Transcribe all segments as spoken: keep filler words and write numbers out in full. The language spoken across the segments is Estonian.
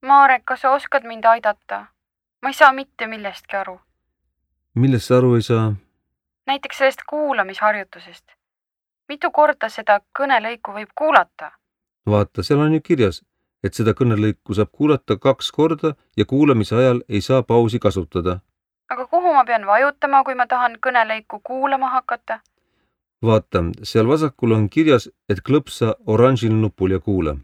Marek, kas sa oskad mind aidata? Ma ei saa mitte millestki aru. Millest sa aru ei saa? Näiteks sellest kuulamisharjutusest. Mitu korda seda kõnelõiku võib kuulata? Vaata, seal on ju kirjas, et seda kõnelõiku saab kuulata kaks korda ja kuulamise ajal ei saa pausi kasutada. Aga kuhu ma pean vajutama, kui ma tahan kõnelõiku kuulama hakata? Vaata, seal vasakul on kirjas, et klõpsa oranžil nupul ja kuula.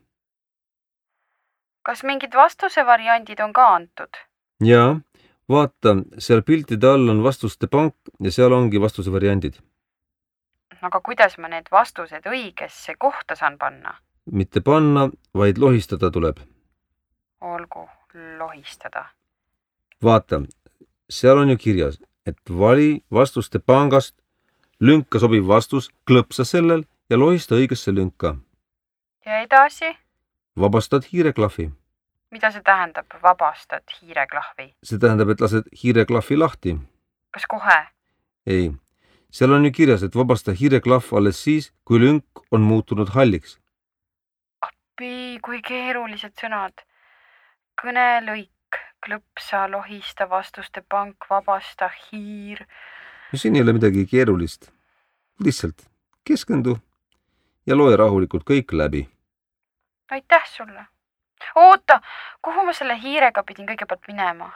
Kas mingid vastuse variandid on ka antud? Jaa, vaata, seal piltide all on vastuste pank ja seal ongi vastuse variandid. Aga kuidas ma need vastused õigesse kohta saan panna? Mitte panna, vaid lohistada tuleb. Olgu, lohistada. Vaata, seal on ju kirjas, et vali vastuste pangast lünka sobiv vastus, klõpsa sellel ja lohista õigesse lünka. Ja edasi? Vabastad hiireklahvi. Mida see tähendab, vabastad hiireklahvi? See tähendab, et lased hiireklahvi lahti. Kas kohe? Ei. Seal on ju kirjas, et vabasta hiireklahv alles siis, kui lünk on muutunud halliks. Appi, kui keerulised sõnad. Kõnelõik, klõpsa, lohista, vastuste pank, vabasta, hiir. No siin ei ole midagi keerulist. Lihtsalt keskendu ja loe rahulikult kõik läbi. Aitäh sulle. Oota, kuhu ma selle hiirega pidin kõigepealt minema?